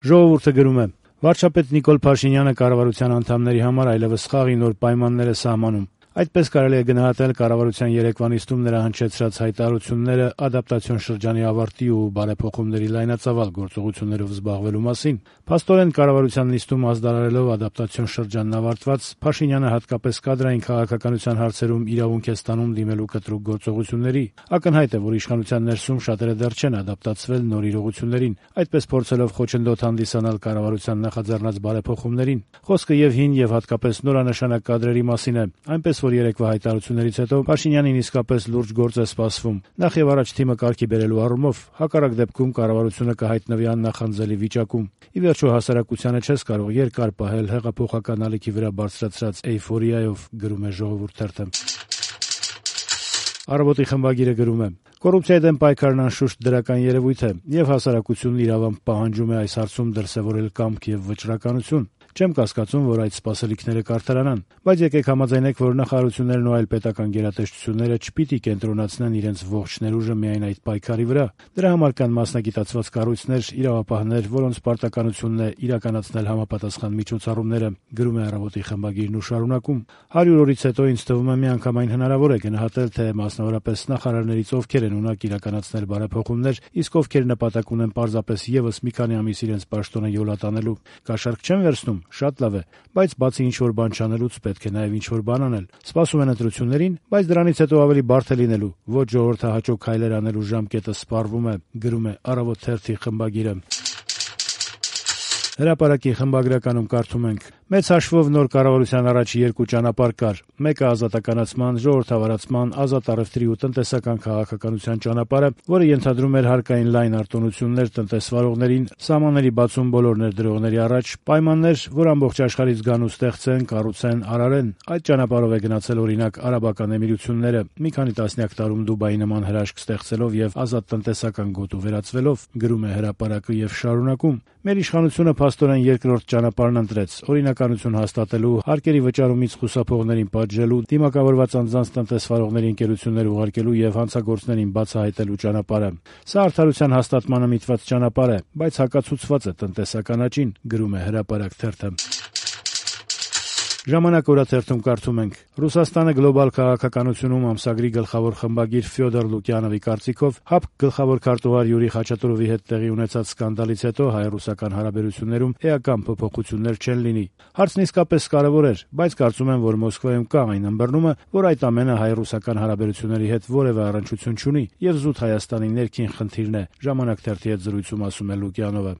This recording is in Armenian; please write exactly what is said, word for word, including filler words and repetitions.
Ժողովուրդը գրում է. «Վարչապետ Նիկոլ Փաշինյանը կառավարության անդամների համար այլևս խաղի նոր պայմաններ է սահմանում։ Այդպես կարելի է գնահատել կառավարության երեկվա նիստում նրա հնչեցրած հայտարարությունները ադապտացիոն շրջանի ավարտի ու բարեփոխումների լայնածավալ գործողություններով զբաղվելու մասին։ Փաստորեն կառավարության նիստում ազդարարելով ադապտացիոն շրջանն ավարտված, Փաշինյանը հատկապես կադրային քաղաքականության հարցերում իրավունք է ստանում դիմելու կտրուկ գործողությունների։ Ակնհայտ է, որ իշխանության ներսում շատերը դեռ չեն ադապտացվել նոր իրողություններին, այդպես փորձելով խոչընդոտ հանդիսանալ կառավարության նախաձեռնած բարեփոխումներին։ Խոսքը եւ հին եւ հատկապես նորանշանակ կադրերի մասին է, այնպես որ երեկվա հայտարարություններից հետո Փաշինյանին իսկապես լուրջ գործ է սպասվում։ Նախ եւ առաջ թիմը կարգի բերելու առումով, հակառակ դեպքում կառավարությունը կհայտնվի աննախանձելի վիճակում։ Ի վերջո հասարակությանը չես կարող երկար պահել հեղափոխական ալիքի վրա բարձրացրած էյֆորիայով», գրում է Ժողովուրդ թերթը։ Առավոտի խմբագիրը գրում է. «Կոռուպցիայի դեմ պայքարն անշուշտ դրական երևույթ է, եւ հասարակությունն իրավամբ պահանջում է այս հարցում դրսեւորել կամք եւ վճռականություն։ Չեմ կասկածում, որ այդ սպասելիքները կարդարանան, բայց եկեք համաձայնենք, որ նախարարություններն ու այլ պետական գերատեսչությունները չպիտի կենտրոնացնեն իրենց ողջ ներուժը միայն այդ պայքարի վրա։ Դրա համար կան մասնագիտացված կառույցներ, իրավապահներ, որոնց պարտականությունն է իրականացնել համապատասխան միջոցառումները», գրում է Առավոտի խմբագիրն ու շարունակում. «Հարյուր օրից հետո ինձ թվում է միանգամայն հնարավոր է գնահատել, թե մասնավորապես նախարարներից ովքեր են ունակ իրականացնել բարեփոխումներ, իսկ ովքեր նպատակ ունեն պարզապես եւս մի քանի ամիս իրենց պաշտոնը յոլատանելու։ Կաշառք չեմ վերցնում, շատ լավ է, բայց բացի ինչ-որ բան չանելուց պետք է նաև ինչ-որ բան անել։ Սպասում են ընտրություններին, բայց դրանից հետո ավելի բարդ է լինելու։ Ոչ ժողովրդահաճո քայլեր անելու ժամկետը սպառվում է», գրում է Առավոտ թերթի խմբագիրը։ Հրապարակի խմբագրականում կարդում ենք. «Մեծ հաշվով նոր կառավարության առաջ երկու ճանապարհ կար։ Մեկը ազատականացման, ժողովրդավարացման, ազատ առևտրի ու տնտեսական քաղաքականության ճանապարհը, որը ենթադրում էր հարկային լայն արտոնություններ տնտեսվարողներին, սահմանների բացում բոլոր ներդրողների առաջ, պայմաններ, որ ամբողջ աշխարհից գան ու ստեղծեն, կառուցեն, արարեն։ Այդ ճանապարհով է գնացել օրինակ Արաբական Էմիրությունները, մի քանի տասնյակ տարում Դուբայի նման հրաշք ստեղծելով եւ ազատ տնտեսական գոտու վերածվելով», գրում է Հրապարակը եւ շարունակում. «Մեր իշխանությունը փաստորեն երկրորդ ճանապարհն ընտրեց՝ օրինականություն հաստատելու, հարկերի վճարումից խուսափողներին պատժելու, դիմակավորված անձանց տնտեսվարողների ընկերություններ ուղարկելու եւ հանցագործներին բացահայտելու ճանապարհը։ Սա արդարության հաստատմանը միտված ճանապարհ է, բայց հակացուցված է տնտեսական աճին», գրում է Հրապարակ թերթը։ Ժամանակ օրաթերթում կարդում ենք. «Ռուսաստանը գլոբալ քաղաքականությունում» ամսագրի գլխավոր խմբագիր Ֆյոդոր Լուկյանովի կարծիքով ՀԱՊԿ գլխավոր քարտուղար Յուրի Խաչատուրովի հետ տեղի ունեցած սկանդալից հետո հայ-ռուսական հարաբերություններում էական փոփոխություններ չեն լինի։ Հարցն իսկապես կարևոր էր, բայց կարծում եմ, որ Մոսկվայում կա այն ըմբռնումը, որ այդ ամենը հայ-ռուսական հարաբերությունների հետ որևէ առնչություն չունի եւ զուտ Հայաստանի ներքին խնդիրն է, ժամանակ թերթի հետ զրույցում ասում է Լուկյանովը։